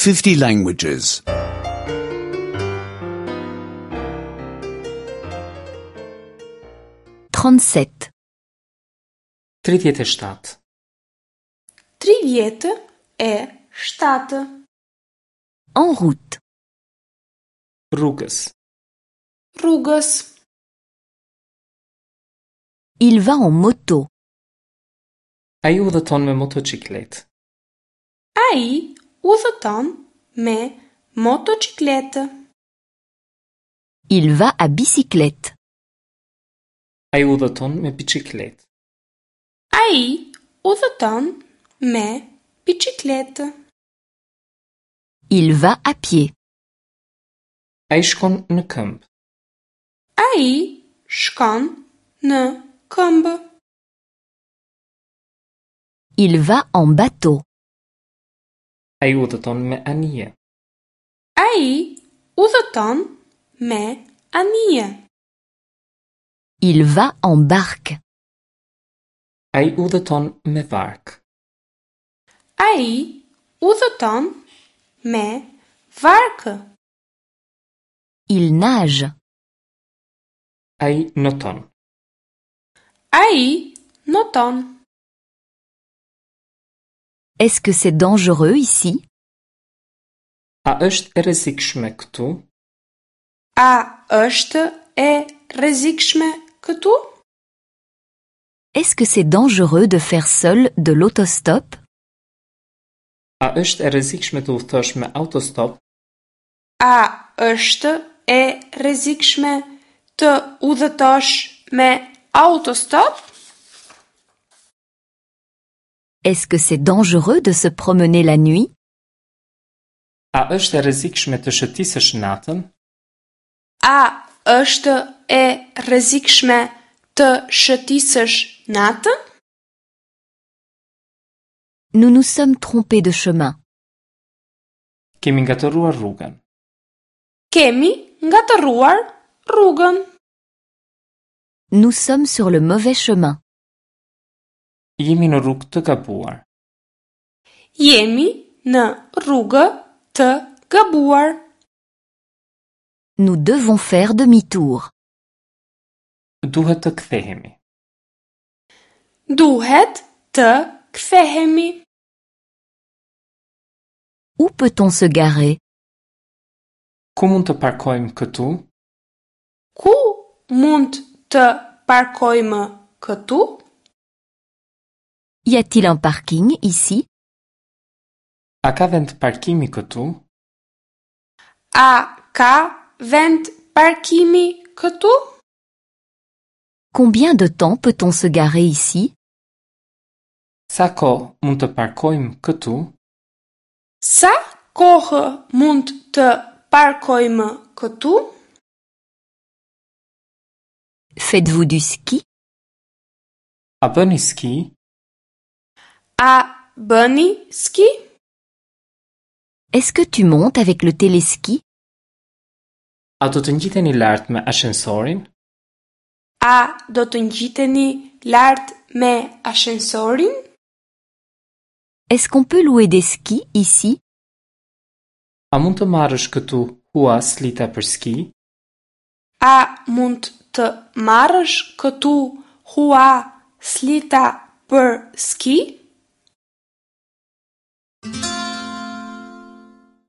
50 languages. 37. 37. 37. En route. Rrugës. Rrugës. Il va en moto. Ai udhëton me motoçikletë. Ai udhëton me motoçikletë. Il va à bicyclette. Ai udhëton me biçikletë. Ai udhëton me biçikletë. Il va à pied. Ai shkon në këmbë. Ai shkon në këmbë. Il va en bateau. Ai udhëton me anije. Ai udhëton me anije. Il va en barque. Ai udhëton me varkë. Ai udhëton me varkë. Il nage. Ai noton. Ai noton. Est-ce que c'est dangereux ici? A është e rrezikshme këtu? A është e rrezikshme këtu? Est-ce que c'est dangereux de faire seul de l'autostop? A është e rrezikshme të udhëtosh me autostop? A është e rrezikshme të udhëtosh me autostop? Est-ce que c'est dangereux de se promener la nuit? A është e rrezikshme të shëtisësh natën? A është e rrezikshme të shëtisësh natën? Nous nous sommes trompés de chemin. Kemi ngatërruar rrugën. Kemi ngatërruar rrugën. Nous sommes sur le mauvais chemin. Jemi në rrugë të gabuar. Jemi në rrugë të gabuar. Nous devons faire demi-tour. Duhet të kthehemi. Duhet të kthehemi. Où peut-on se garer? Ku mund të parkojmë këtu? Ku mund të parkojmë këtu? Y a-t-il un parking ici? A ka vend parkimi këtu? A ka vend parkimi këtu? Combien de temps peut-on se garer ici? Sa kohë mund të parkojmë këtu? Sa kohë mund të parkojmë këtu? Faites-vous du ski? A bëni ski? A bëni ski? Est-ce que tu montes avec le téléski? A do të ngjiteni lart me ashensorin? A do të ngjiteni lart me ashensorin? Est-ce qu'on peut louer des skis ici? A mund të marrësh këtu hua slita për ski? A mund të marrësh këtu hua slita për ski?